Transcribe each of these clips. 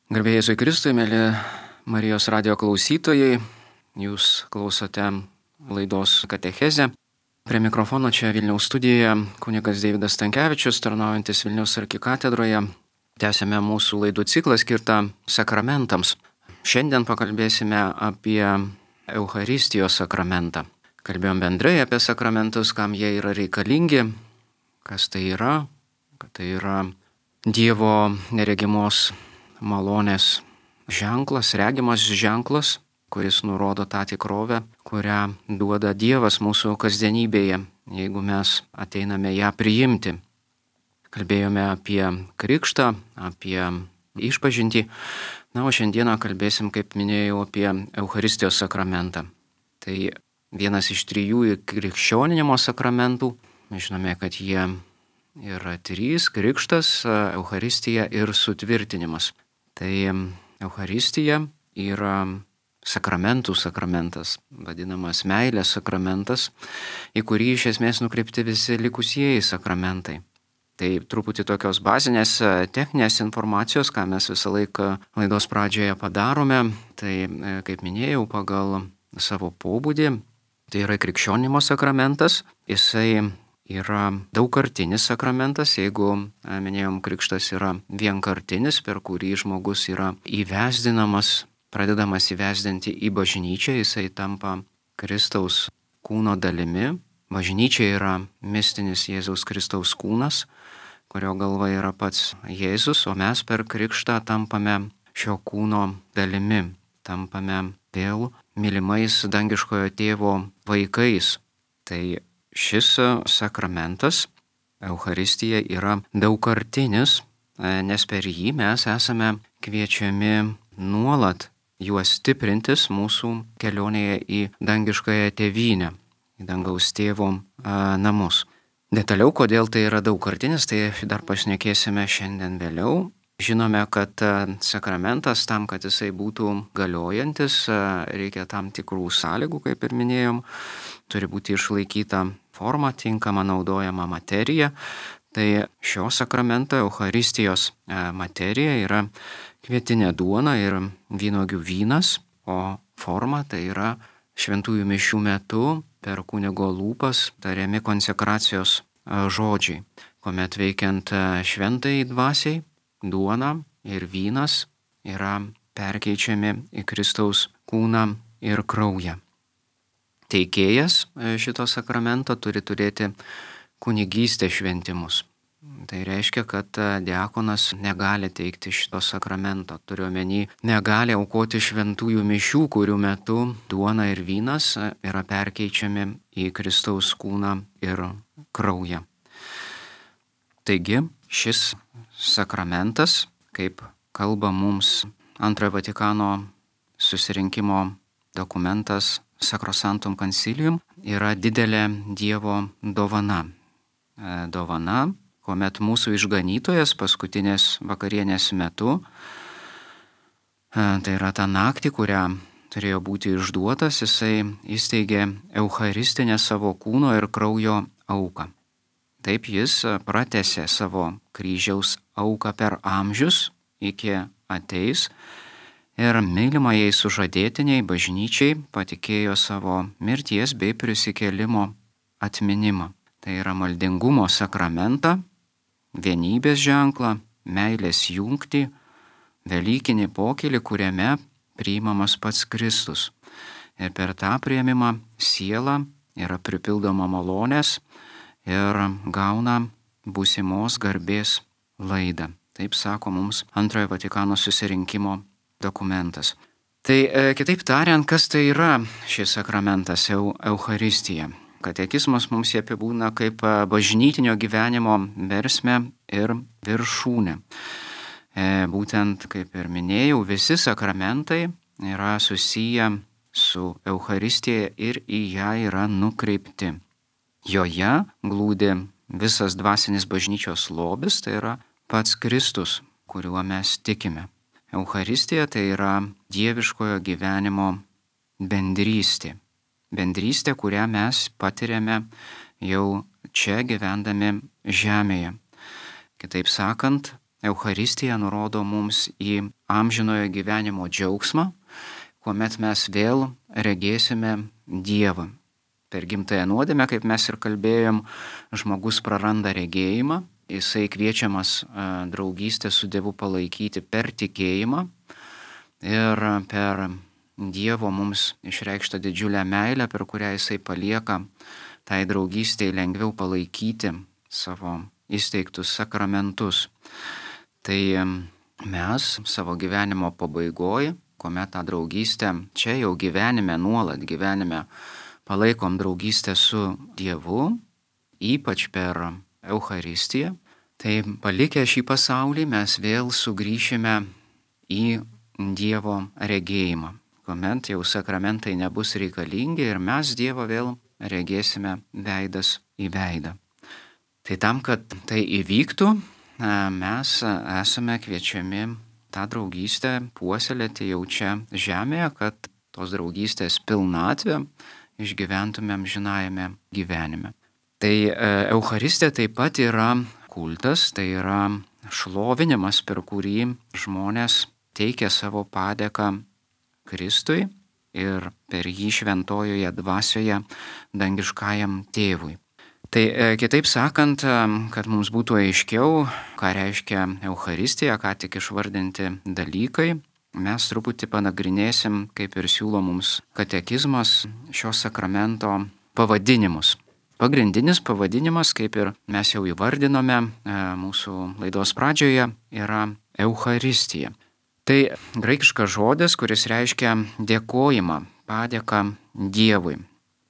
Garbėjai Jėzui Kristui, mėly Marijos radio klausytojai, jūs klausote laidos Katechezė. Prie mikrofono čia Vilniaus studijoje kunigas Deividas Stankevičius, tarnaujantis Vilniaus arkikatedroje. Tęsėme mūsų laidų ciklą skirtą sakramentams. Šiandien pakalbėsime apie Eucharistijos sakramentą. Kalbėjom bendrai apie sakramentus, kam jie yra reikalingi, kas tai yra, kad tai yra Dievo neregimos malonės ženklas, regimas ženklas, kuris nurodo tą tikrovę, kurią duoda Dievas mūsų kasdienybėje, jeigu mes ateiname ją priimti. Kalbėjome apie krikštą, apie išpažintį, o šiandieną kalbėsim, kaip minėjau, apie Eucharistijos sakramentą. Tai vienas iš 3 krikščioninimo sakramentų. Mes žinome, kad jie yra 3 - krikštas, Eucharistija ir sutvirtinimas. Tai Eucharistija yra sakramentų sakramentas, vadinamas meilės sakramentas, į kurį iš esmės nukreipti visi likusieji sakramentai. Tai truputį tokios bazinės techninės informacijos, ką mes visą laiką laidos pradžioje padarome. Tai, kaip minėjau, pagal savo pobūdį, tai yra krikščionimo sakramentas. Jisai yra daugkartinis sakramentas, jeigu, minėjom, krikštas yra vienkartinis, per kurį žmogus yra įvesdinamas, pradedamas įvesdinti į bažnyčią, jisai tampa Kristaus kūno dalimi. Bažnyčia yra mistinis Jėzaus Kristaus kūnas, kurio galva yra pats Jėzus, o mes per krikštą tampame šio kūno dalimi, tampame vėl mylimais dangiškojo tėvo vaikais. Tai šis sakramentas, Eucharistija, yra daugkartinis, nes per jį mes esame kviečiami nuolat juos stiprintis mūsų kelionėje į dangiškąją tėvynę, į dangaus tėvo namus. Detaliau, kodėl tai yra daugkartinis, tai dar pašnekėsime šiandien vėliau. Žinome, kad sakramentas tam, kad jisai būtų galiojantis, reikia tam tikrų sąlygų, kaip ir minėjom. Turi būti išlaikyta forma, tinkama naudojama materija. Tai šio sakramento Eucharistijos materija yra kvietinė duona ir vynuogių vynas, o forma tai yra šventųjų mišių metu per kunigo lūpas tariami konsekracijos žodžiai, kuomet veikiant šventai dvasiai duona ir vynas yra perkeičiami į Kristaus kūną ir kraują. Teikėjas šito sakramento turi turėti kunigystės šventimus. Tai reiškia, kad diakonas negali teikti šito sakramento. Turiu omeny, negali aukoti šventųjų mišių, kurių metu duona ir vynas yra perkeičiami į Kristaus kūną ir kraują. Taigi, šis sakramentas, kaip kalba mums Antrojo Vatikano susirinkimo dokumentas Sacrosanctum Concilium, yra didelė Dievo dovana. Dovana, kuomet mūsų išganytojas paskutinės vakarienės metu, tai yra tą naktį, kurią turėjo būti išduotas, jisai įsteigė eucharistinę savo kūno ir kraujo auką. Taip jis pratęsė savo kryžiaus auką per amžius iki ateis ir mylimajai sužadėtiniai bažnyčiai patikėjo savo mirties bei prisikėlimo atminimą. Tai yra maldingumo sakramentą, vienybės ženklą, meilės jungtį, velykinį pokylį, kuriame priimamas pats Kristus. Ir per tą priėmimą siela yra pripildoma malonės ir gauna būsimos garbės laidą. Taip sako mums Antrojo Vatikano susirinkimo dokumentas. Tai kitaip tariant, kas tai yra šis sakramentas Eucharistija? Katekizmas mums jį apibūdina kaip bažnytinio gyvenimo versmę ir viršūnę. Būtent, kaip ir minėjau, visi sakramentai yra susiję su Eucharistija ir į ją yra nukreipti. Joje glūdi visas dvasinis bažnyčios lobis, tai yra pats Kristus, kuriuo mes tikime. Eucharistija tai yra dieviškojo gyvenimo bendrystė. Bendrystė, kurią mes patiriame jau čia gyvendami žemėje. Kitaip sakant, Eucharistija nurodo mums į amžinojo gyvenimo džiaugsmą, kuomet mes vėl regėsime Dievą. Per gimtąją nuodėmę, kaip mes ir kalbėjom, žmogus praranda regėjimą, jisai kviečiamas draugystę su Dievu palaikyti per tikėjimą ir per Dievo mums išreikštą didžiulę meilę, per kurią jisai palieka tai draugystėje lengviau palaikyti savo įsteigtus sakramentus. Tai mes savo gyvenimo pabaigoje, kuomet tą draugystę čia jau gyvenime, nuolat gyvenime palaikom draugystę su Dievu, ypač per Eucharistiją, tai palikę šį pasaulį mes vėl sugrįšime į Dievo regėjimą, kuomet jau sakramentai nebus reikalingi ir mes Dievą vėl regėsime veidas į veidą. Tai tam, kad tai įvyktų, mes esame kviečiami tą draugystę puoselėti jau čia žemėje, kad tos draugystės pilnatvę išgyventumėm amžinajame gyvenime. Tai Eucharistija taip pat yra kultas, tai yra šlovinimas, per kurį žmonės teikia savo padėką Kristui ir per jį šventojoje dvasioje dangiškajam tėvui. Tai kitaip sakant, kad mums būtų aiškiau, ką reiškia Eucharistija, ką tik išvardinti dalykai, mes truputį panagrinėsim, kaip ir siūlo mums katekizmas, šio sakramento pavadinimus. Pagrindinis pavadinimas, kaip ir mes jau įvardinome mūsų laidos pradžioje, yra Eucharistija. Tai graikiškas žodis, kuris reiškia dėkojimą, padėką Dievui.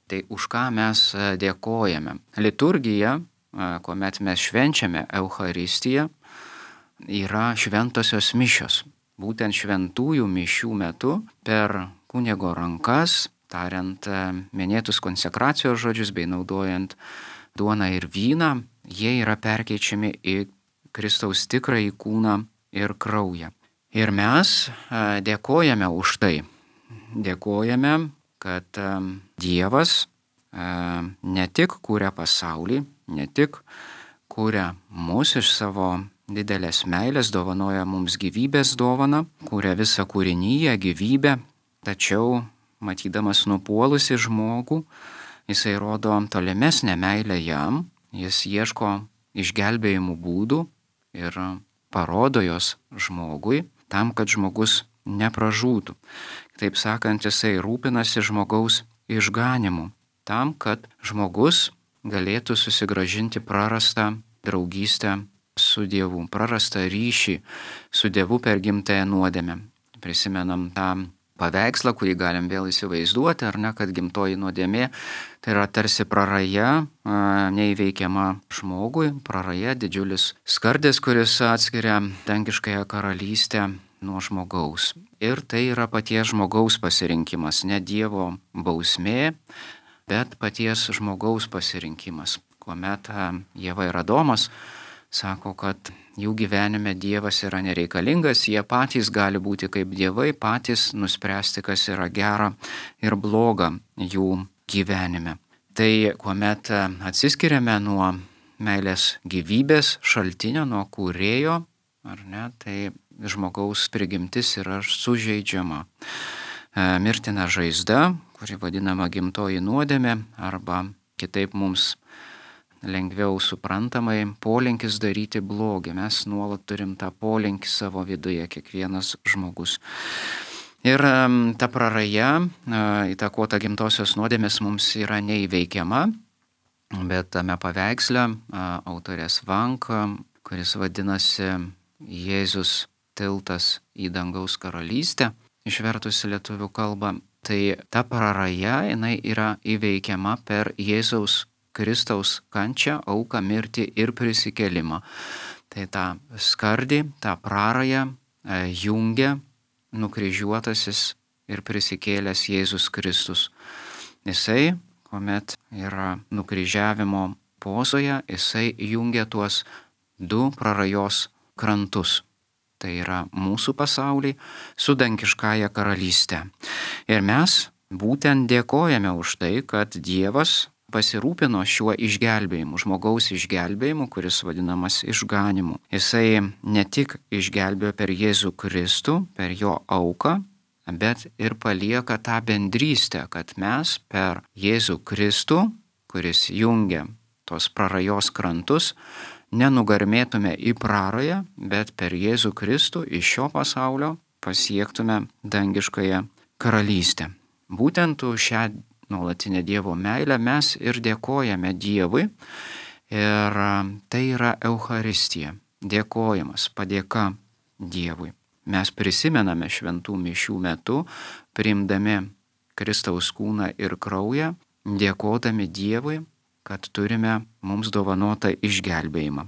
Tai už ką mes dėkojame? Liturgija, kuomet mes švenčiame Eucharistiją, yra šventosios mišios. Būtent šventųjų mišių metu per kunigo rankas, tariant minėtus konsekracijos žodžius bei naudojant duoną ir vyną, jie yra perkeičiami į Kristaus tikrąjį kūną ir kraują. Ir mes dėkojame už tai. Dėkojame, kad Dievas ne tik kūrė pasaulį, ne tik kūrė mus iš savo didelės meilės, dovanoja mums gyvybės dovaną, kūrė visą kūrinyje, gyvybę, tačiau matydamas nupuolusi žmogų, jisai rodo tolimesnę meilę jam, jis ieško išgelbėjimų būdų ir parodo jos žmogui, tam, kad žmogus nepražūtų. Taip sakant, jisai rūpinasi žmogaus išganimu, tam, kad žmogus galėtų susigrąžinti prarastą draugystę su Dievu, prarastą ryšį su Dievu per gimtąją nuodėmę. Prisimenam tą paveikslą, kurį galim vėl įsivaizduoti, ar ne, kad gimtoji nuodėmė tai yra tarsi praraja neįveikiama žmogui, praraja didžiulis skardis, kuris atskiria dangiškąją karalystę nuo žmogaus. Ir tai yra paties žmogaus pasirinkimas, ne Dievo bausmė, bet paties žmogaus pasirinkimas. Kuomet Ieva ir Adomas sako, kad jų gyvenime Dievas yra nereikalingas, jie patys gali būti kaip dievai, patys nuspręsti, kas yra gera ir bloga jų gyvenime. Tai kuomet atsiskiriame nuo meilės gyvybės šaltinio, nuo kūrėjo, ar ne, tai žmogaus prigimtis yra sužeidžiama. Mirtina žaizda, kuri vadinama gimtoji nuodėmė, arba kitaip mums lengviau suprantamai polinkis daryti blogį. Mes nuolat turim tą polinkį savo viduje, kiekvienas žmogus. Ir ta praraja, įtakota gimtosios nuodėmės, mums yra neįveikiama, bet tame paveiksle autorės Vank, kuris vadinasi Jėzus tiltas į dangaus karalystę, išvertus į lietuvių kalbą, tai ta praraja, jinai yra įveikiama per Jėzaus Kristaus kančią, auką, mirtį ir prisikėlimą. Tai tą skardį, tą prarają jungia nukryžiuotasis ir prisikėlęs Jėzus Kristus. Jisai, kuomet yra nukryžiavimo pozoje, jisai jungia tuos du prarajos krantus. Tai yra mūsų pasaulį su dangiškąja karalystė. Ir mes būtent dėkojame už tai, kad Dievas pasirūpino šiuo išgelbėjimu, žmogaus išgelbėjimu, kuris vadinamas išganimu. Jisai ne tik išgelbėjo per Jėzų Kristų, per jo auką, bet ir palieka tą bendrystę, kad mes per Jėzų Kristų, kuris jungia tos prarajos krantus, nenugarmėtume į prarają, bet per Jėzų Kristų iš šio pasaulio pasiektume dangiškąją karalystę. Būtent už šią nuolatinę Dievo meilę mes ir dėkojame Dievui, ir tai yra Eucharistija, dėkojimas, padėka Dievui. Mes prisimename šventų mišių metu, priimdami Kristaus kūną ir kraują, dėkodami Dievui, kad turime mums dovanotą išgelbėjimą.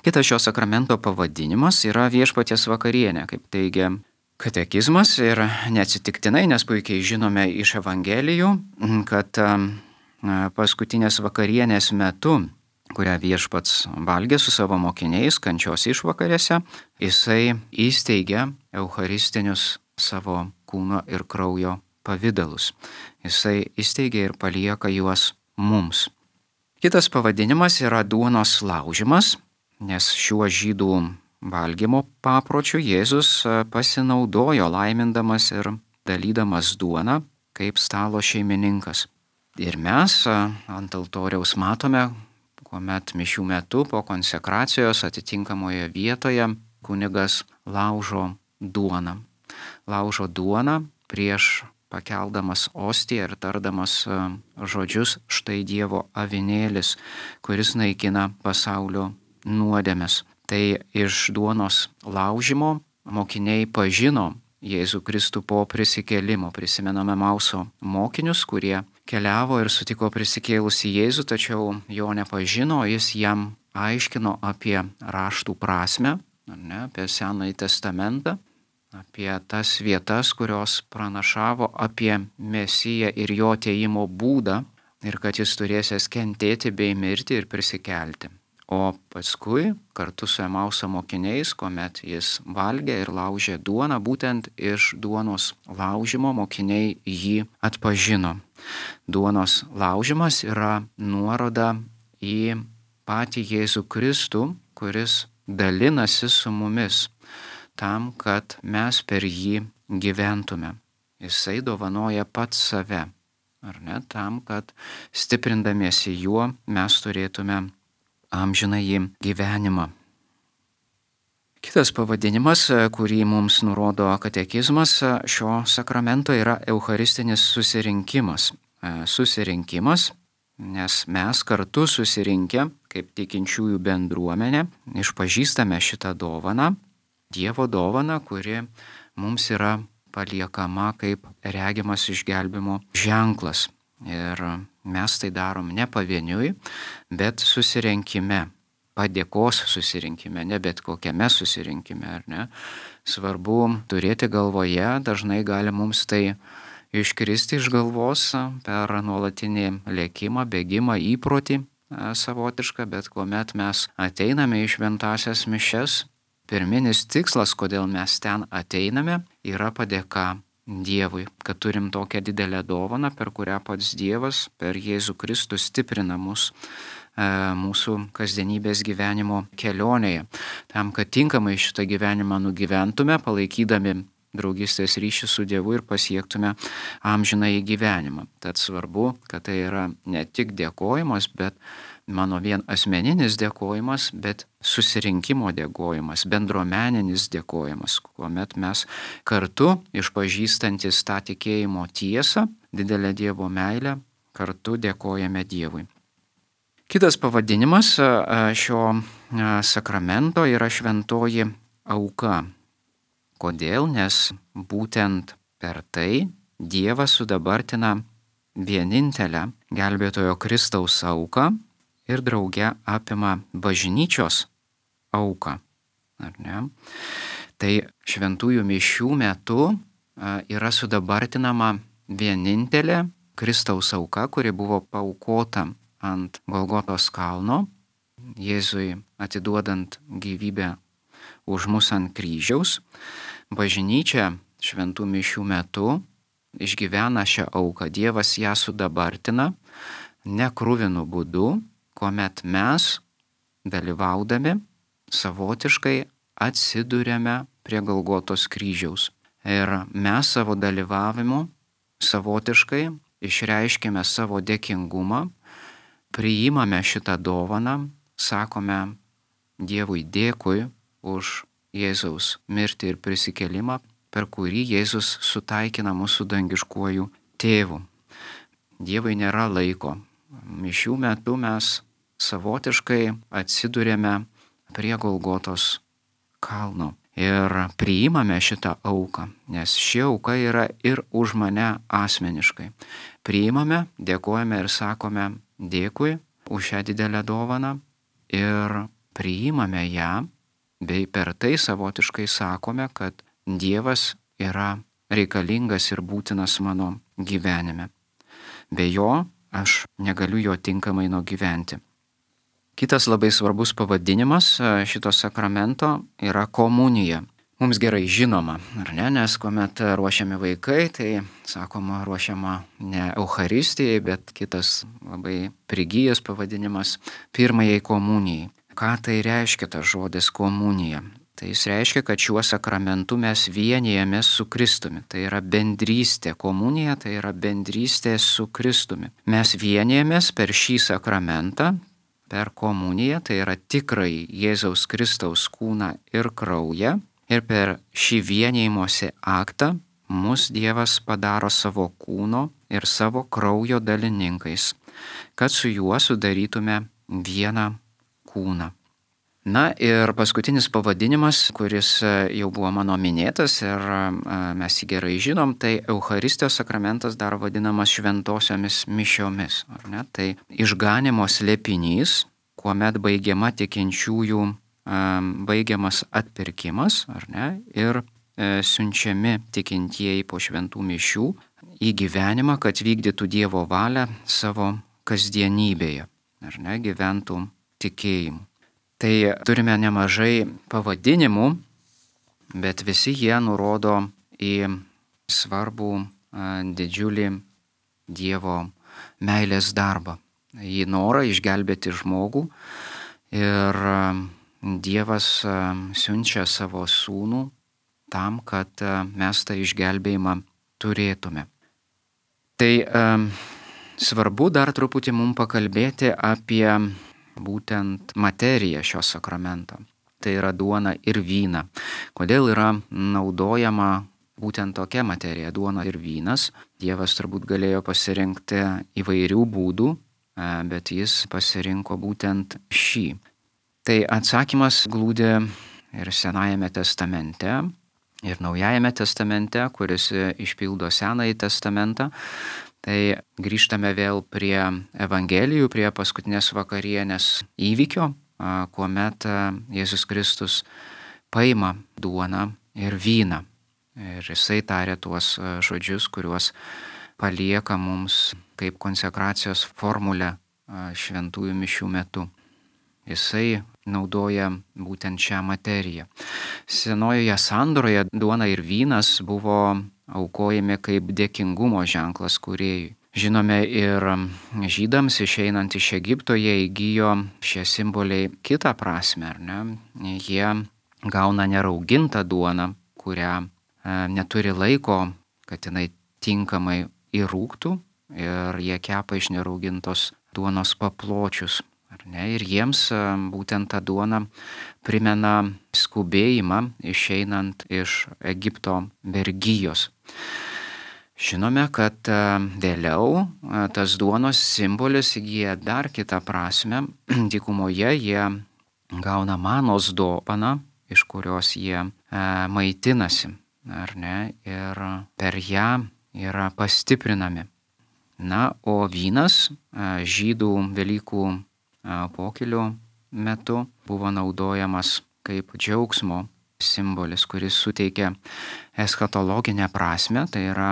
Kitas šio sakramento pavadinimas yra viešpaties vakarienė, kaip teigia katekizmas, ir neatsitiktinai, nes puikiai žinome iš Evangelijų, kad paskutinės vakarienės metu, kurią viešpats valgė su savo mokiniais kančios išvakarėse, jisai įsteigia eucharistinius savo kūno ir kraujo pavydalus. Jisai įsteigia ir palieka juos mums. Kitas pavadinimas yra duonos laužimas, nes šiuo žydų valgymo papročiu Jėzus pasinaudojo laimindamas ir dalydamas duoną kaip stalo šeimininkas. Ir mes ant altoriaus matome, kuomet mišių metu po konsekracijos atitinkamoje vietoje kunigas laužo duoną. Laužo duoną prieš pakeldamas ostiją ir tardamas žodžius štai Dievo avinėlis, kuris naikina pasaulio nuodėmes. Tai iš duonos laužimo mokiniai pažino Jėzų Kristų po prisikėlimo. Prisimename Emauso mokinius, kurie keliavo ir sutiko prisikėlusį Jėzų, tačiau jo nepažino, jis jam aiškino apie raštų prasmę, apie Senąjį testamentą, apie tas vietas, kurios pranašavo apie Mesiją ir jo atėjimo būdą, ir kad jis turėsės kentėti bei mirti ir prisikelti. O paskui kartu su Emauso mokiniais, kuomet jis valgė ir laužė duoną, būtent iš duonos laužimo mokiniai jį atpažino. Duonos laužimas yra nuoroda į patį Jėzų Kristų, kuris dalinasi su mumis tam, kad mes per jį gyventume. Jisai dovanoja pats save, ar ne, tam, kad stiprindamiesi juo mes turėtume amžinąjį gyvenimą. Kitas pavadinimas, kurį mums nurodo katekizmas šio sakramento, yra eucharistinis susirinkimas. Susirinkimas, nes mes kartu susirinkę, kaip tikinčiųjų bendruomenė, išpažįstame šitą dovaną, Dievo dovaną, kuri mums yra paliekama kaip regimas išgelbimo ženklas. Ir mes tai darom ne pavieniui, bet susirinkime, padėkos susirinkime, ne bet kokiame susirinkime, ar ne. Svarbu turėti galvoje, dažnai gali mums tai iškristi iš galvos per nuolatinį lėkimą, bėgimą, įprotį savotišką, bet kuomet mes ateiname į šventąsias mišias, pirminis tikslas, kodėl mes ten ateiname, yra padėka Dievui, kad turim tokią didelę dovaną, per kurią pats Dievas per Jėzų Kristų stiprina mus mūsų kasdienybės gyvenimo kelionėje. Tam, kad tinkamai šitą gyvenimą nugyventume, palaikydami draugystės ryšį su Dievu ir pasiektume amžinąjį gyvenimą. Tad svarbu, kad tai yra ne tik dėkojimas, bet mano vien asmeninis dėkojimas, bet susirinkimo dėkojimas, bendruomeninis dėkojimas, kuomet mes kartu išpažįstantis tą tikėjimo tiesą, didelę Dievo meilę, kartu dėkojame Dievui. Kitas pavadinimas šio sakramento yra šventoji auka. Kodėl? Nes būtent per tai Dievas sudabartina vienintelę gelbėtojo Kristaus auką ir drauge apima bažnyčios auką. Ar ne? Tai šventųjų mišių metu yra sudabartinama vienintelė Kristaus auka, kuri buvo paaukota ant Golgotos kalno, Jėzui atiduodant gyvybę už mus ant kryžiaus. Bažnyčia šventų mišių metu išgyvena šią auką. Dievas ją sudabartina, nekruvinu būdu, kuomet mes, dalyvaudami, savotiškai atsiduriame prie Golgotos kryžiaus. Ir mes savo dalyvavimu savotiškai išreiškime savo dėkingumą, priimame šitą dovaną, sakome Dievui dėkui už Jėzaus mirtį ir prisikėlimą, per kurį Jėzus sutaikina mūsų dangiškuoju tėvu. Dievui nėra laiko. Mišių metu mes savotiškai atsidurėme prie Golgotos kalno ir priimame šitą auką, nes ši auka yra ir už mane asmeniškai. Priimame, dėkojame ir sakome dėkui už šią didelę dovaną ir priimame ją, bei per tai savotiškai sakome, kad Dievas yra reikalingas ir būtinas mano gyvenime. Be jo aš negaliu jo tinkamai nugyventi. Kitas labai svarbus pavadinimas šito sakramento yra komunija. Mums gerai žinoma, ar ne? Nes kuomet ruošiami vaikai, tai sakoma ruošiama ne Eucharistijai, bet kitas labai prigijęs pavadinimas pirmajai komunijai. Ką tai reiškia tas žodis komunija? Tai jis reiškia, kad šiuo sakramentu mes vienijamės su Kristumi. Tai yra bendrystė. Komunija tai yra bendrystė su Kristumi. Mes vienijamės per šį sakramentą, per komuniją, tai yra tikrai Jėzaus Kristaus kūną ir kraują. Ir per šį vienijimosi aktą mus Dievas padaro savo kūno ir savo kraujo dalininkais, kad su juo sudarytume vieną kūną. Na ir paskutinis pavadinimas, kuris jau buvo mano minėtas ir mes jį gerai žinom, tai Eucharistijos sakramentas dar vadinamas šventosiomis mišiomis. Ar ne? Tai išganimo slėpinys, kuomet baigiama tikinčiųjų, baigiamas atpirkimas, ar ne? Ir siunčiami tikintieji po šventų mišių į gyvenimą, kad vykdytų Dievo valią savo kasdienybėje, ar ne? Gyventų tikėjimu. Tai turime nemažai pavadinimų, bet visi jie nurodo į svarbų, didžiulį Dievo meilės darbą, į norą išgelbėti žmogų. Ir Dievas siunčia savo sūnų tam, kad mes tą išgelbėjimą turėtume. Tai svarbu dar truputį mums pakalbėti apie būtent materiją šio sakramento. Tai yra duona ir vyna. Kodėl yra naudojama būtent tokia materija, duona ir vynas? Dievas turbūt galėjo pasirinkti įvairių būdų, bet jis pasirinko būtent šį. Tai atsakymas glūdi ir Senajame testamente, ir Naujajame testamente, kuris išpildo Senąjį testamentą. Tai grįžtame vėl prie Evangelijų, prie paskutinės vakarienės įvykio, kuomet Jėzus Kristus paima duoną ir vyną. Ir jisai tarė tuos žodžius, kuriuos palieka mums kaip konsekracijos formulę šventųjų mišių metu. Jisai naudoja būtent šią materiją. Senojoje sandoroje duona ir vynas buvo aukojami kaip dėkingumo ženklas kūrėjui. Žinome, ir žydams išeinant iš Egipto jie įgijo šie simboliai kitą prasme, ar ne? Jie gauna neraugintą duoną, kurią neturi laiko, kad jinai tinkamai įrūgtų, ir jie kepa iš neraugintos duonos papločius. Ir jiems būtent ta duona primena skubėjimą išeinant iš Egipto vergijos. Žinome, kad vėliau tas duonos simbolis įgyja dar kitą prasme. Dykumoje jie gauna manos dovaną, iš kurios jie maitinasi, ar ne? Ir per ją yra pastiprinami. Na, o vynas žydų Velykų pokylio metu buvo naudojamas kaip džiaugsmo simbolis, kuris suteikia eschatologinę prasme, tai yra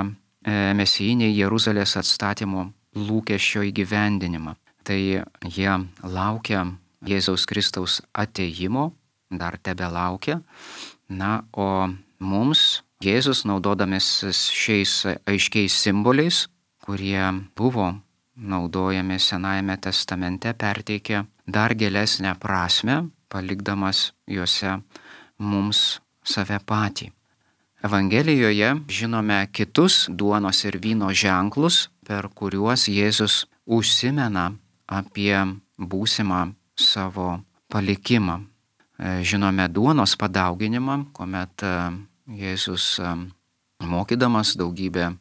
mesijiniai Jeruzalės atstatymo lūkesčio įgyvendinimą. Tai jie laukia Jėzaus Kristaus atėjimo, dar tebelaukia. Na, o mums Jėzus, naudodamasis šiais aiškiais simboliais, kurie buvo naudojami Senajame testamente, perteikia dar gilesnę prasmę, palikdamas juose mums save patį. Evangelijoje žinome kitus duonos ir vyno ženklus, per kuriuos Jėzus užsimena apie būsimą savo palikimą. Žinome duonos padauginimą, kuomet Jėzus mokydamas daugybę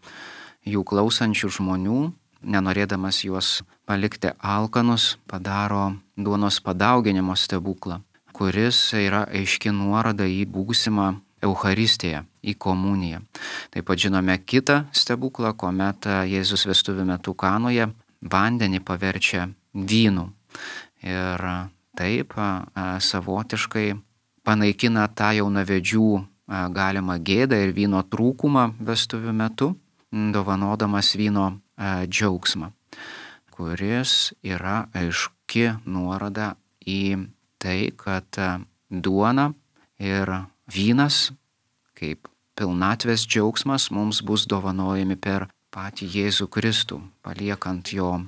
jų klausančių žmonių, nenorėdamas juos palikti alkanus, padaro duonos padauginimo stebuklą, kuris yra aiški nuoroda į būsimą Eucharistiją, į komuniją. Taip pat žinome kitą stebuklą, kuomet Jėzus vestuvių metu Kanoje vandenį paverčia vynu. Ir taip savotiškai panaikina tą jaunavedžių galimą gėdą ir vyno trūkumą vestuvių metu, dovanodamas vyno džiaugsmą, kuris yra aiški nuoroda į tai, kad duona ir vynas kaip pilnatvės džiaugsmas mums bus dovanojami per patį Jėzų Kristų, paliekant jo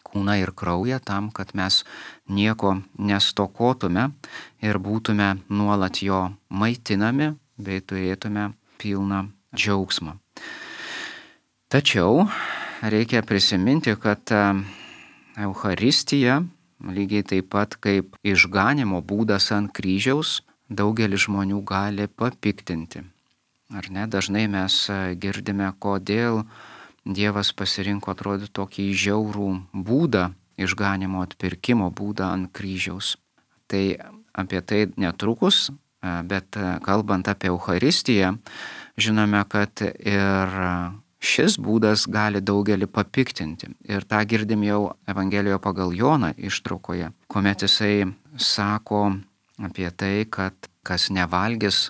kūną ir kraują tam, kad mes nieko nestokotume ir būtume nuolat jo maitinami bei turėtume pilną džiaugsmą. Tačiau reikia prisiminti, kad Eucharistija, lygiai taip pat kaip išganimo būdas ant kryžiaus, daugelį žmonių gali papiktinti. Ar ne? Dažnai mes girdime, kodėl Dievas pasirinko atrodyti tokį žiaurų būdą, išganimo atpirkimo būdą ant kryžiaus. Tai apie tai netrukus, bet kalbant apie Eucharistiją, žinome, kad ir šis būdas gali daugelį papiktinti. Ir tą girdim jau Evangelijoje pagal Joną ištraukoje, kuomet jisai sako apie tai, kad kas nevalgys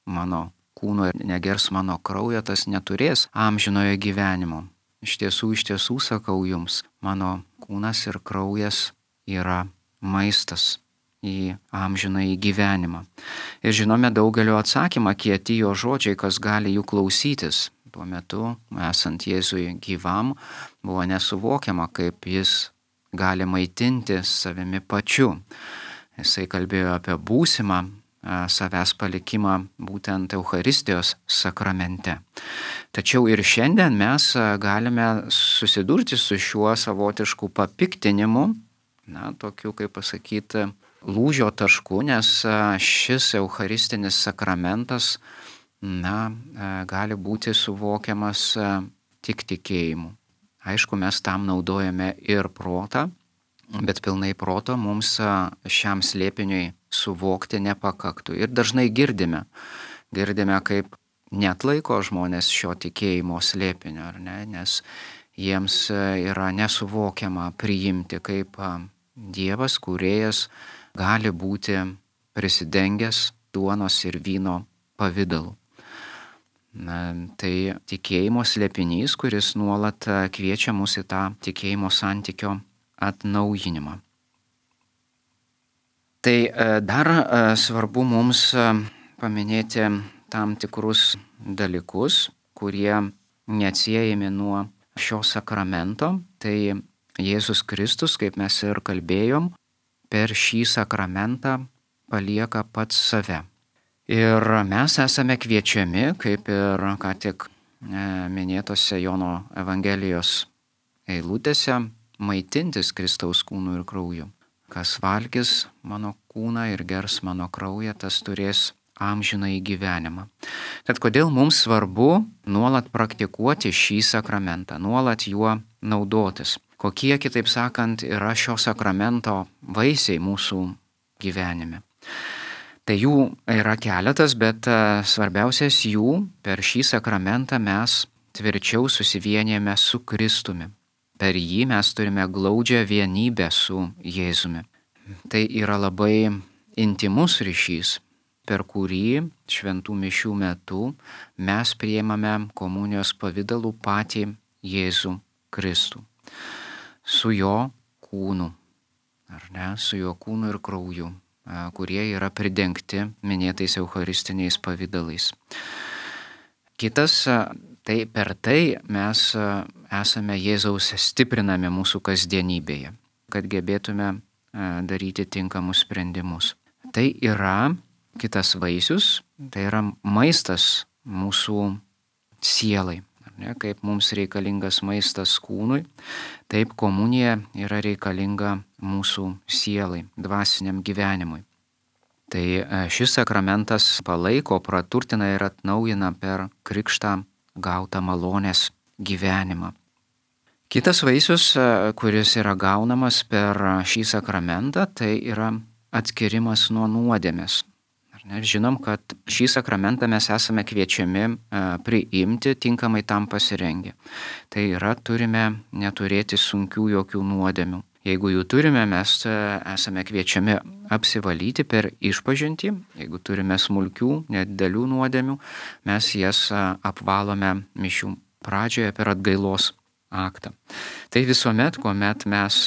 mano kūno ir negers mano kraujo, tas neturės amžinojo gyvenimo. Iš tiesų sakau jums, mano kūnas ir kraujas yra maistas į amžinąjį gyvenimą. Ir žinome daugelio atsakymą, kieti jo žodžiai, kas gali jų klausytis. Tuo metu, esant Jėzui gyvam, buvo nesuvokiama, kaip jis gali maitinti savimi pačiu. Jisai kalbėjo apie būsimą savęs palikimą būtent Eucharistijos sakramente. Tačiau ir šiandien mes galime susidurti su šiuo savotišku papiktinimu, tokiu, kaip pasakyti, lūžio tašku, nes šis Eucharistinis sakramentas, gali būti suvokiamas tik tikėjimu. Aišku, mes tam naudojame ir protą, bet pilnai proto mums šiam slėpiniui suvokti nepakaktų. Ir dažnai girdime, kaip neatlaiko žmonės šio tikėjimo slėpinio, ar ne? Nes jiems yra nesuvokiama priimti, kaip Dievas, kūrėjas, gali būti prisidengęs duonos ir vyno pavidalu. Tai tikėjimo slėpinys, kuris nuolat kviečia mus į tą tikėjimo santykio atnaujinimą. Tai dar svarbu mums paminėti tam tikrus dalykus, kurie neatsiejami nuo šio sakramento. Tai Jėzus Kristus, kaip mes ir kalbėjom, per šį sakramentą palieka pats save. Ir mes esame kviečiami, kaip ir ką tik minėtose Jono Evangelijos eilutėse, maitintis Kristaus kūnu ir krauju. Kas valgys mano kūną ir gers mano kraują, tas turės amžinąjį gyvenimą. Tad kodėl mums svarbu nuolat praktikuoti šį sakramentą, nuolat juo naudotis? Kokie, kitaip sakant, yra šio sakramento vaisiai mūsų gyvenime? Tai jų yra keletas, bet svarbiausias jų, per šį sakramentą mes tvirčiau susivienijame su Kristumi. Per jį mes turime glaudžią vienybę su Jėzumi. Tai yra labai intimus ryšys, per kurį šventų mišių metu mes priimame komunijos pavidalų patį Jėzų Kristų. Su jo kūnu, ar ne, su jo kūnu ir krauju, kurie yra pridengti minėtais eucharistiniais pavidalais. Kitas Tai per tai mes esame Jėzaus stiprinami mūsų kasdienybėje, kad gebėtume daryti tinkamus sprendimus. Tai yra kitas vaisius, tai yra maistas mūsų sielai. Ne, kaip mums reikalingas maistas kūnui, taip komunija yra reikalinga mūsų sielai, dvasiniam gyvenimui. Tai šis sakramentas palaiko, praturtina ir atnaujina per krikštą gautą malonės gyvenimą. Kitas vaisius, kuris yra gaunamas per šį sakramentą, tai yra atskirimas nuo nuodėmės. Žinom, kad šį sakramentą mes esame kviečiami priimti, tinkamai tam pasirengę. Tai yra, turime neturėti sunkių jokių nuodėmių. Jeigu jų turime, mes esame kviečiami apsivalyti per išpažintį. Jeigu turime smulkių, nedidelių nuodėmių, mes jas apvalome mišių pradžioje per atgailos aktą. Tai visuomet, kuomet mes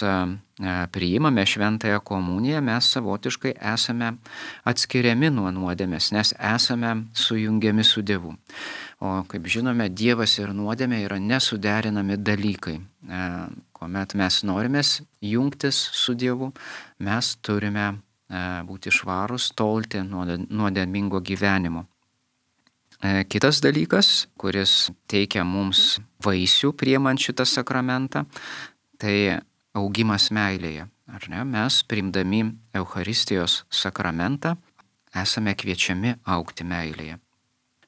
priimame šventąją komuniją, mes savotiškai esame atskiriami nuo nuodėmės, nes esame sujungiami su Dievu. O kaip žinome, Dievas ir nuodėmė yra nesuderinami dalykai. Kuomet mes norime jungtis su Dievu, mes turime būti švarūs, tolti nuo nuodėmingo gyvenimo. Kitas dalykas, kuris teikia mums vaisių priimant šitą sakramentą, tai augimas meilėje. Ar ne? Mes, priimdami Eucharistijos sakramentą, esame kviečiami augti meilėje.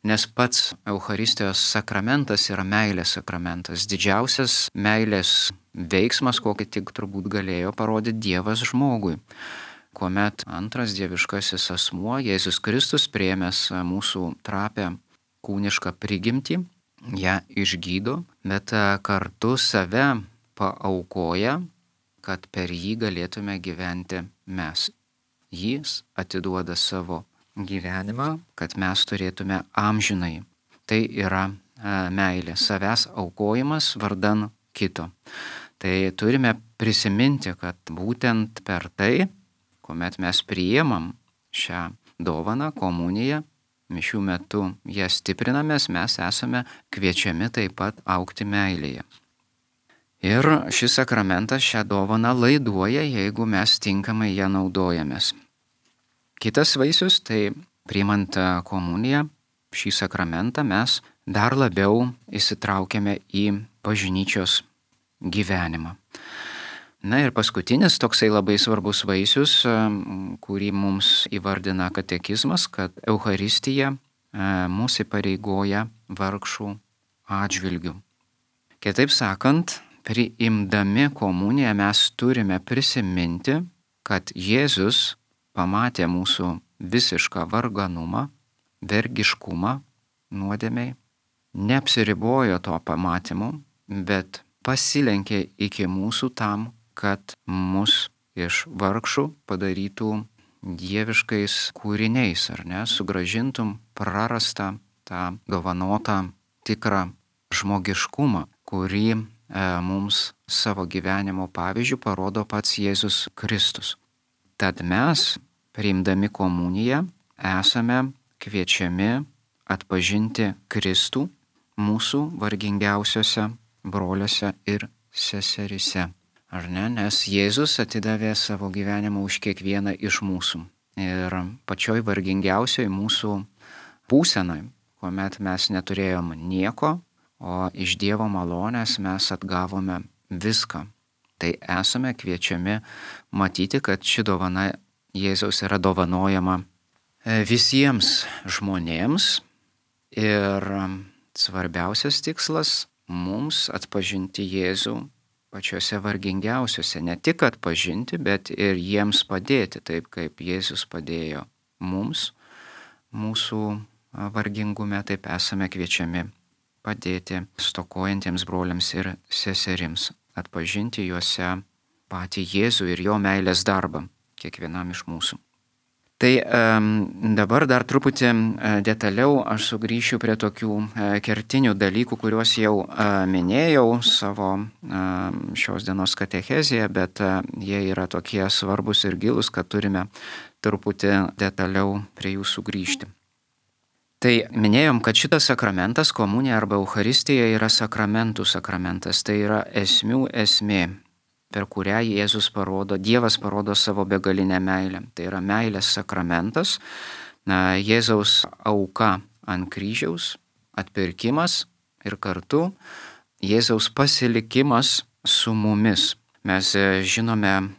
Nes pats Eucharistijos sakramentas yra meilės sakramentas. Didžiausias meilės veiksmas, kokį tik turbūt galėjo parodyti Dievas žmogui. Kuomet antras dieviškasis asmuo, Jėzus Kristus, priėmęs mūsų trapę kūnišką prigimtį, ją išgydo, bet kartu save paaukoja, kad per jį galėtume gyventi mes. Jis atiduoda savo gyvenimą, kad mes turėtume amžinai. Tai yra meilė, savęs aukojimas vardan kito. Tai turime prisiminti, kad būtent per tai, kuomet mes priimam šią dovaną, komuniją, mišių metu ją stiprinamės, mes esame kviečiami taip pat augti meilėje. Ir šis sakramentas šią dovaną laiduoja, jeigu mes tinkamai ją naudojamės. Kitas vaisius, tai priimant komuniją, šį sakramentą mes dar labiau įsitraukiame į bažnyčios gyvenimą. Na ir paskutinis toksai labai svarbus vaisius, kurį mums įvardina katekizmas, kad Eucharistija mus įpareigoja vargšų atžvilgių. Kitaip sakant, priimdami komuniją mes turime prisiminti, kad Jėzus pamatė mūsų visišką varganumą, vergiškumą nuodėmei, neapsiribojo to pamatymu, bet pasilenkė iki mūsų tam, kad mus iš vargšų padarytų dieviškais kūriniais, ar ne, sugrąžintum prarastą tą dovanotą tikrą žmogiškumą, kurį mums savo gyvenimo pavyzdžių parodo pats Jėzus Kristus. Tad mes, priimdami komuniją, esame kviečiami atpažinti Kristų mūsų vargingiausiose broliuose ir seserise. Ar ne? Nes Jėzus atidavė savo gyvenimą už kiekvieną iš mūsų. Ir pačioj vargingiausioj mūsų būsenoj, kuomet mes neturėjom nieko, o iš Dievo malonės mes atgavome viską. Tai esame kviečiami matyti, kad ši dovana Jėzaus yra dovanojama visiems žmonėms. Ir svarbiausias tikslas mums atpažinti Jėzų pačiuose vargingiausiuose, ne tik atpažinti, bet ir jiems padėti, taip kaip Jėzus padėjo mums, mūsų vargingume, taip esame kviečiami padėti stokojantiems broliams ir seserims, atpažinti juose patį Jėzų ir jo meilės darbą kiekvienam iš mūsų. Tai dabar dar truputį detaliau aš sugrįšiu prie tokių kertinių dalykų, kuriuos jau minėjau savo šios dienos katechezėje, bet jie yra tokie svarbus ir gilus, kad turime truputį detaliau prie jų sugrįžti. Tai minėjom, kad šitas sakramentas, komunija arba Eucharistija, yra sakramentų sakramentas. Tai yra esmių esmė, per kurią Dievas parodo savo begalinę meilę. Tai yra meilės sakramentas, Jėzaus auka ant kryžiaus, atpirkimas ir kartu Jėzaus pasilikimas su mumis. Mes žinome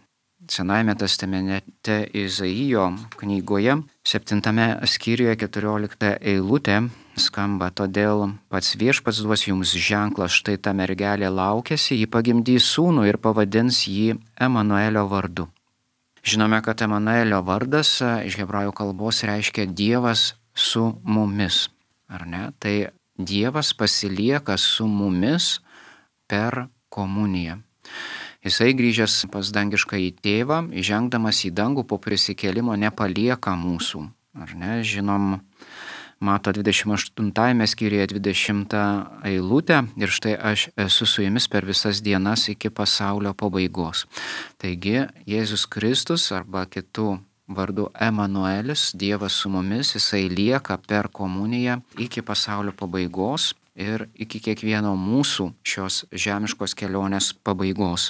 Senajame testamente Izaijo knygoje 7 skyriuje 14 eilutė skamba: todėl pats Viešpats duos jums ženklą, štai ta mergelė laukiasi, ji pagimdys sūnų ir pavadins jį Emanuelio vardu. Žinome, kad Emanuelio vardas iš hebrajų kalbos reiškia Dievas su mumis, ar ne? Tai Dievas pasilieka su mumis per komuniją. Jisai grįžęs pas dangiškąjį tėvą, įžengdamas į dangų po prisikėlimo nepalieka mūsų. Ar ne? Žinom, Mato 28 skyriuje 20 eilutę: ir štai aš esu su jumis per visas dienas iki pasaulio pabaigos. Taigi Jėzus Kristus arba kitų vardu Emanuelis, Dievas su mumis, jisai lieka per komuniją iki pasaulio pabaigos ir iki kiekvieno mūsų šios žemiškos kelionės pabaigos.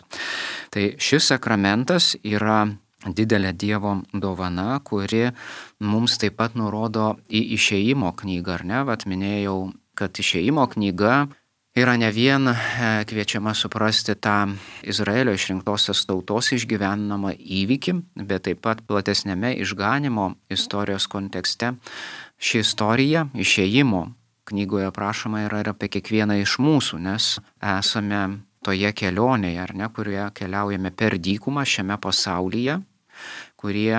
Tai šis sakramentas yra didelė Dievo dovana, kuri mums taip pat nurodo į Išėjimo knygą, ar ne? Vat minėjau, kad Išėjimo knyga yra ne vien kviečiama suprasti tą Izraelio išrinktosios tautos išgyvenamą įvykį, bet taip pat platesnėme išganymo istorijos kontekste. Ši istorija Išėjimo knygoje aprašoma yra ir apie kiekvieną iš mūsų, nes esame toje kelionėje, ar ne, kurioje keliaujame per dykumą šiame pasaulyje, kurie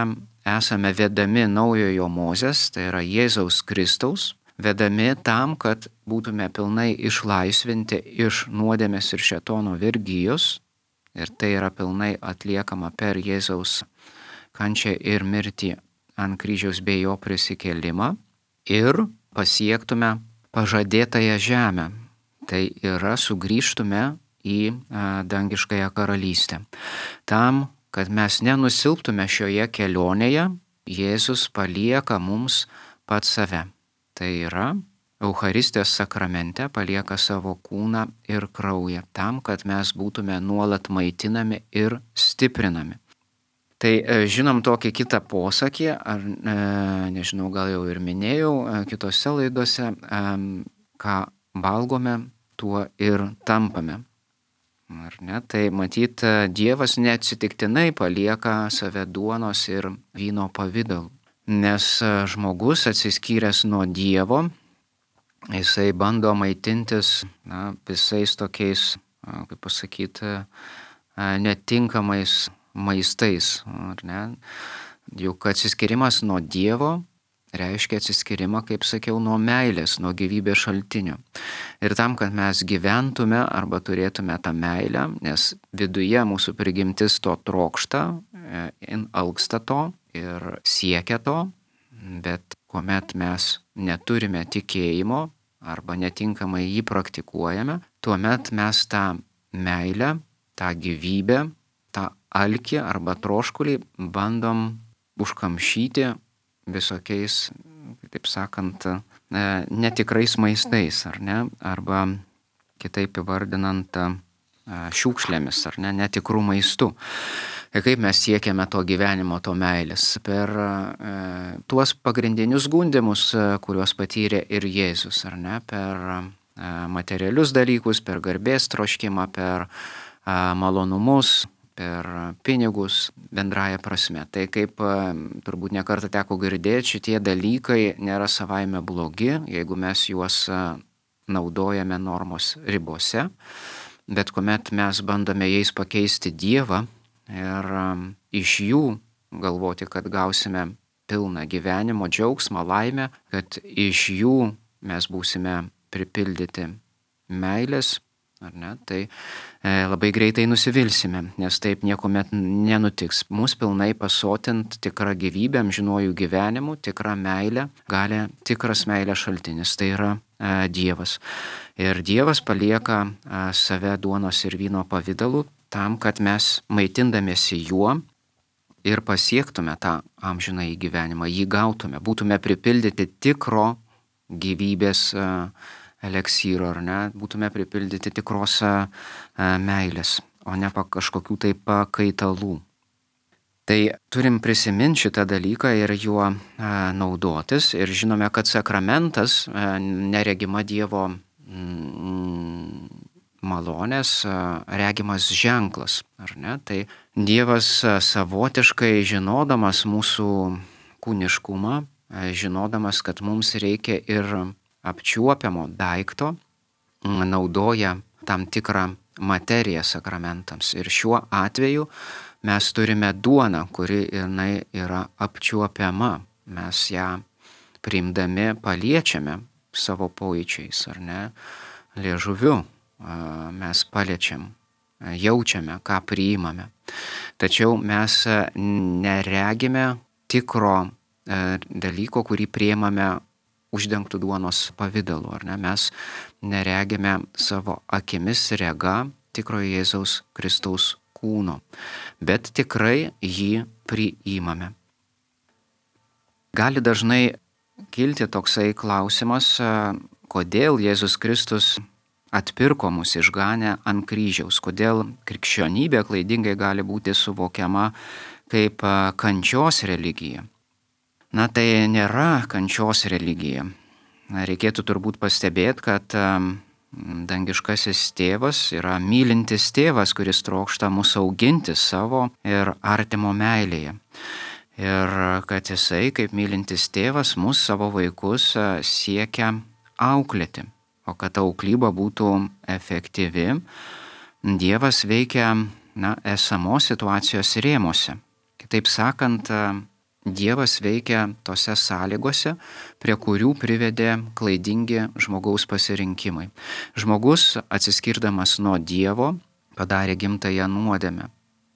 esame vedami naujojo Mozės, tai yra Jėzaus Kristaus, vedami tam, kad būtume pilnai išlaisvinti iš nuodėmės ir šėtono vergijos, ir tai yra pilnai atliekama per Jėzaus kančią ir mirtį ant kryžiaus bei jo prisikėlimą, ir pasiektume pažadėtąją žemę. Tai yra sugrįžtume į dangiškąją karalystę. Tam, kad mes nenusilptume šioje kelionėje, Jėzus palieka mums pats save. Tai yra Eucharistijos sakramente palieka savo kūną ir kraują, tam, kad mes būtume nuolat maitinami ir stiprinami. Tai žinom tokį kitą posakį, ar nežinau, gal jau ir minėjau kitose laidose, ką valgome, tuo ir tampame. Ar ne? Tai matyt, Dievas neatsitiktinai palieka save duonos ir vyno pavidalu, nes žmogus atsiskyręs nuo Dievo, jisai bando maitintis visais tokiais, kaip pasakyti, netinkamais maistais, ar ne? Juk atsiskyrimas nuo Dievo reiškia atsiskyrimą, kaip sakiau, nuo meilės, nuo gyvybės šaltinio. Ir tam, kad mes gyventume arba turėtume tą meilę, nes viduje mūsų prigimtis to trokšta, alksta to ir siekia to, bet kuomet mes neturime tikėjimo arba netinkamai jį praktikuojame, tuomet mes tą meilę, tą gyvybę, tą alkį arba troškulį bandom užkamšyti visokiais, taip sakant, netikrais maistais, ar ne? Arba kitaip įvardinant šiukšlėmis, ar ne? Netikrų maistų. Ir kaip mes siekiame to gyvenimo, to meilės? Per tuos pagrindinius gundymus, kuriuos patyrė ir Jėzus, ar ne? Per materialius dalykus, per garbės troškimą, per malonumus, per pinigus bendraja prasme. Tai kaip turbūt nekartą teko girdėti, šitie dalykai nėra savaime blogi, jeigu mes juos naudojame normos ribose, bet kuomet mes bandome jais pakeisti Dievą ir iš jų galvoti, kad gausime pilną gyvenimo džiaugsmą, laimę, kad iš jų mes būsime pripildyti meilės, ar ne, tai labai greitai nusivilsime, nes taip niekuomet nenutiks. Mūsų pilnai pasotint tikrą gyvybę, amžinuoju gyvenimu, tikrą meilę gali tikras meilės šaltinis, tai yra Dievas. Ir Dievas palieka save duonos ir vyno pavidalu tam, kad mes maitindamiesi juo ir pasiektume tą amžinąjį gyvenimą, jį gautume, būtume pripildyti tikro gyvybės eleksyro, ar ne, būtume pripildyti tikros meilės, o ne kažkokių tai pakaitalų. Tai turim prisiminti šitą dalyką ir juo naudotis. Ir žinome, kad sakramentas, neregima Dievo malonės, regimas ženklas, ar ne? Tai Dievas savotiškai žinodamas mūsų kūniškumą, žinodamas, kad mums reikia ir apčiuopiamo daikto, naudoja tam tikrą materiją sakramentams. Ir šiuo atveju mes turime duoną, kuri yra apčiuopiama. Mes ją priimdami paliečiame savo pojūčiais, ar ne, liežuviu. Mes paliečiam, jaučiame, ką priimame. Tačiau mes neregime tikro dalyko, kurį priimame uždengtų duonos pavidalu, ar ne? Mes neregime savo akimis rega tikrojo Jėzaus Kristaus kūno, bet tikrai jį priimame. Gali dažnai kilti toksai klausimas, kodėl Jėzus Kristus atpirko mus, išganė ant kryžiaus, kodėl krikščionybė klaidingai gali būti suvokiama kaip kančios religija. Na, tai nėra kančios religija. Reikėtų turbūt pastebėti, kad dangiškasis tėvas yra mylintis tėvas, kuris trokšta mus auginti savo ir artimo meilėje. Ir kad jisai, kaip mylintis tėvas, mus savo vaikus siekia auklėti. O kad auklyba būtų efektyvi, Dievas veikia esamos situacijos rėmuose. Kitaip sakant, Dievas veikia tose sąlygose, prie kurių privedė klaidingi žmogaus pasirinkimai. Žmogus, atsiskirdamas nuo Dievo, padarė gimtąją nuodėmę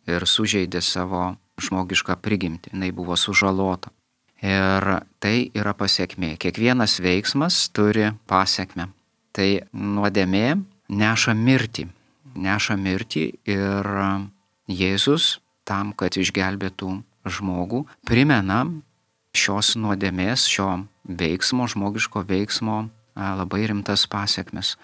ir sužeidė savo žmogišką prigimtį. Jis buvo sužalota. Ir tai yra pasekmė. Kiekvienas veiksmas turi pasekmę. Tai nuodėmė neša mirtį. Neša mirtį ir Jėzus tam, kad išgelbėtų žmogų, primena šios nuodėmės, šio veiksmo, žmogiško veiksmo labai rimtas pasekmes.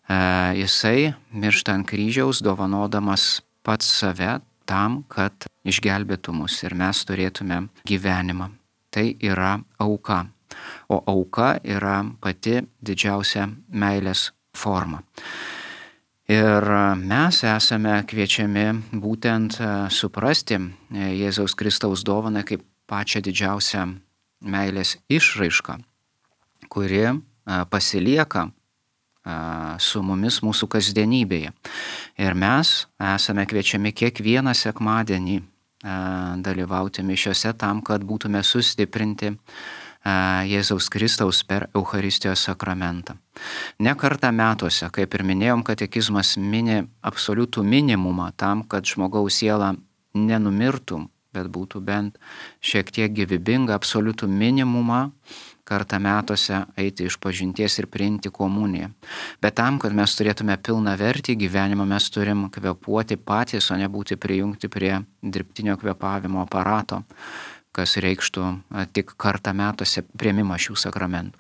Jisai miršta ant kryžiaus, dovanodamas pats save tam, kad išgelbėtų mus ir mes turėtume gyvenimą. Tai yra auka. O auka yra pati didžiausia meilės forma. Ir mes esame kviečiami būtent suprasti Jėzaus Kristaus dovaną kaip pačią didžiausią meilės išraišką, kuri pasilieka su mumis mūsų kasdienybėje. Ir mes esame kviečiami kiekvieną sekmadienį dalyvauti mišiose tam, kad būtume sustiprinti Jėzaus Kristaus per Eucharistijos sakramentą. Ne kartą metuose, kaip ir minėjom, katekizmas mini absoliutų minimumą tam, kad žmogaus siela nenumirtų, bet būtų bent šiek tiek gyvybinga, absoliutų minimumą kartą metuose eiti išpažinties ir priimti komuniją. Bet tam, kad mes turėtume pilną vertį gyvenimą, mes turim kvėpuoti patys, o ne būti prijungti prie dirbtinio kvėpavimo aparato, kas reikštų tik kartą metuose priėmimą šių sakramentų.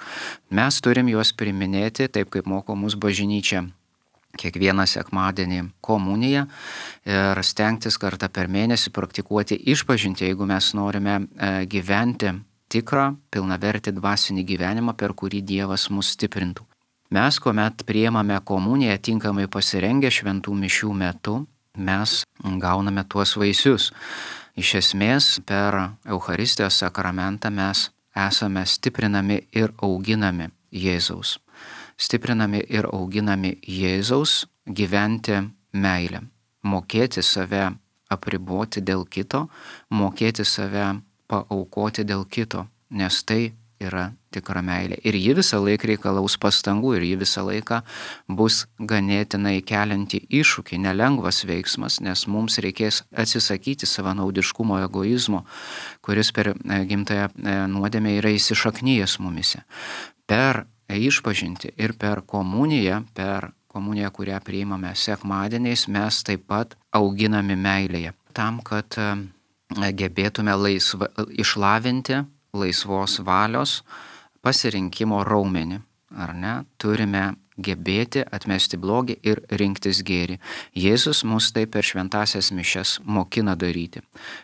Mes turim juos priiminėti taip, kaip moko mus bažnyčia, kiekvieną sekmadienį komuniją ir stengtis kartą per mėnesį praktikuoti išpažintį, jeigu mes norime gyventi tikrą, pilnavertį dvasinį gyvenimą, per kurį Dievas mus stiprintų. Mes, kuomet priimame komuniją tinkamai pasirengę šventų mišių metu, mes gauname tuos vaisius. Iš esmės, per Eucharistijos sakramentą mes esame stiprinami ir auginami Jėzaus. Stiprinami ir auginami Jėzaus gyventi meilę. Mokėti save apriboti dėl kito, mokėti save paaukoti dėl kito, nes tai yra tikra meilė. Ir ji visą laiką reikalaus pastangų ir ji visą laiką bus ganėtinai kelianti iššūkį, nelengvas veiksmas, nes mums reikės atsisakyti savanaudiškumo, egoizmo, kuris per gimtąją nuodėmę yra įsišaknyjęs mumise. Per išpažintį ir per komuniją, kurią priimame sekmadieniais, mes taip pat auginami meilėje, tam, kad gebėtume išlavinti laisvos valios pasirinkimo raumenį, ar ne? Turime gebėti atmesti blogį ir rinktis gėrį. Jėzus mus tai per šventasias mišias mokina daryti,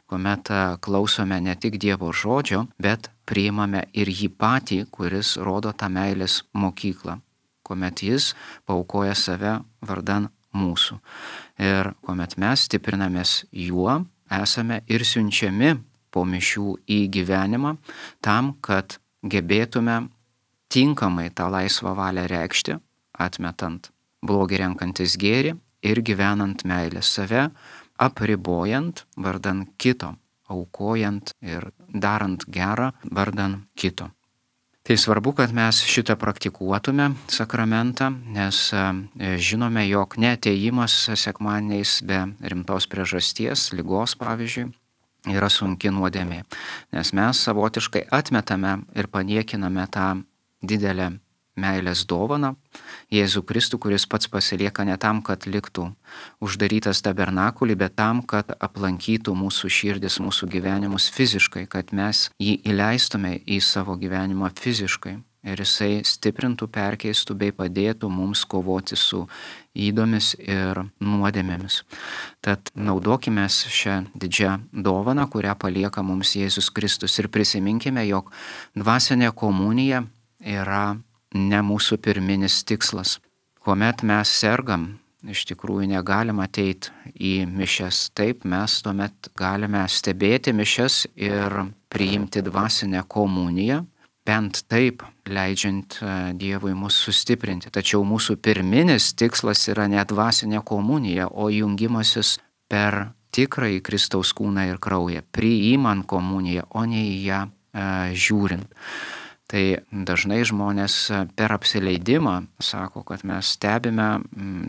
kuomet klausome ne tik Dievo žodžio, bet priimame ir jį patį, kuris rodo tą meilės mokyklą, kuomet jis paaukoja save vardan mūsų. Ir kuomet mes stiprinamės juo, esame ir siunčiami po mišių į gyvenimą tam, kad gebėtume tinkamai tą laisvą valią reikšti, atmetant blogį, renkantis gėrį ir gyvenant meilę, save apribojant vardan kito, aukojant ir darant gerą vardan kito. Tai svarbu, kad mes šitą praktikuotume sakramentą, nes žinome, jog neatėjimas sekmadieniais be rimtos priežasties, ligos pavyzdžiui, yra sunki nuodėmė, nes mes savotiškai atmetame ir paniekiname tą didelę meilės dovaną, Jėzų Kristų, kuris pats pasilieka ne tam, kad liktų uždarytas tabernakulį, bet tam, kad aplankytų mūsų širdis, mūsų gyvenimus fiziškai, kad mes jį įleistume į savo gyvenimą fiziškai ir jisai stiprintų, perkeistų bei padėtų mums kovoti su ydomis ir nuodėmėmis. Tad naudokime šią didžią dovaną, kurią palieka mums Jėzus Kristus, ir prisiminkime, jog dvasinė komunija yra ne mūsų pirminis tikslas. Kuomet mes sergam, iš tikrųjų negalim ateiti į mišias. Taip, mes tuomet galime stebėti mišias ir priimti dvasinę komuniją, bent taip leidžiant Dievui mus sustiprinti. Tačiau mūsų pirminis tikslas yra ne dvasinė komunija, o jungimasis per tikrąjį Kristaus kūną ir kraują, priimant komuniją, o ne į ją žiūrint. Tai dažnai žmonės per apsileidimą sako, kad mes stebime,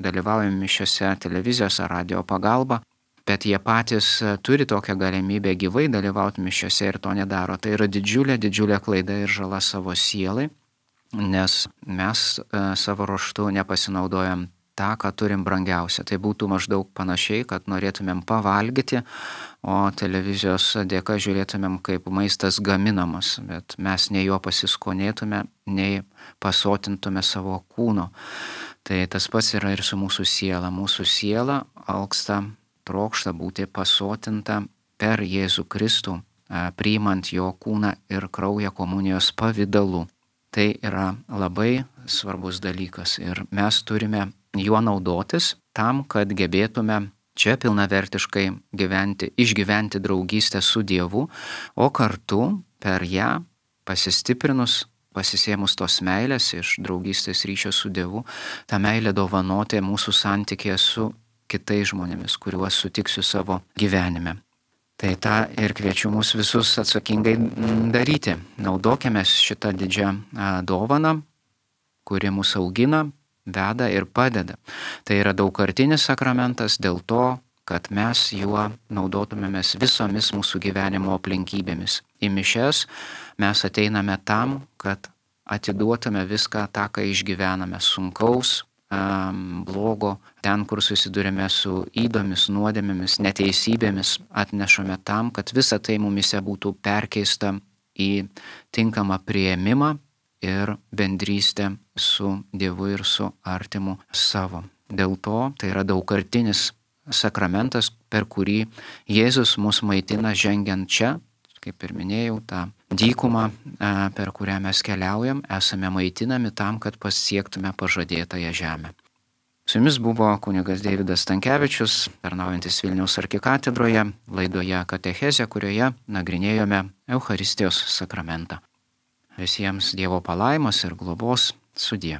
dalyvaujame mišiose televizijos ar radio pagalba, bet jie patys turi tokią galimybę gyvai dalyvauti mišiose ir to nedaro. Tai yra didžiulė klaida ir žala savo sielai, nes mes savo ruožtu nepasinaudojam tą, ką turim brangiausia. Tai būtų maždaug panašiai, kad norėtumėm pavalgyti, o televizijos dėka žiūrėtumėm, kaip maistas gaminamas, bet mes nei jo pasiskonėtume, nei pasotintume savo kūno. Tai tas pats yra ir su mūsų siela. Mūsų siela alksta, trokšta būti pasotinta per Jėzų Kristų, priimant jo kūną ir kraują komunijos pavidalu. Tai yra labai svarbus dalykas ir mes turime juo naudotis tam, kad gebėtume čia pilnavertiškai išgyventi draugystę su Dievu, o kartu per ją pasistiprinus, pasisėmus tos meilės iš draugystės ryšio su Dievu, tą meilę dovanoti mūsų santykėje su kitais žmonėmis, kuriuos sutiksiu savo gyvenime. Tai tą ir kviečiu mus visus atsakingai daryti. Naudokime šitą didžią dovaną, kuri mus augina, veda ir padeda. Tai yra daugkartinis sakramentas dėl to, kad mes juo naudotumėmės visomis mūsų gyvenimo aplinkybėmis. Į mišias mes ateiname tam, kad atiduotume viską tą, ką išgyvename sunkaus, blogo, ten, kur susidurime su ydomis, nuodėmėmis, neteisybėmis, atnešame tam, kad visa tai mumise būtų perkeista į tinkamą priėmimą ir bendrystę su Dievu ir su artimu savo. Dėl to tai yra daugkartinis sakramentas, per kurį Jėzus mus maitina žengiant čia, kaip ir minėjau, tą dykumą, per kurią mes keliaujam, esame maitinami tam, kad pasiektume pažadėtąją žemę. Su jumis buvo kunigas Deividas Stankevičius, tarnaujantis Vilniaus arkikatedroje, laidoje Katechezė, kurioje nagrinėjome Eucharistijos sakramentą. Visiems Dievo palaimos ir globos, sudie.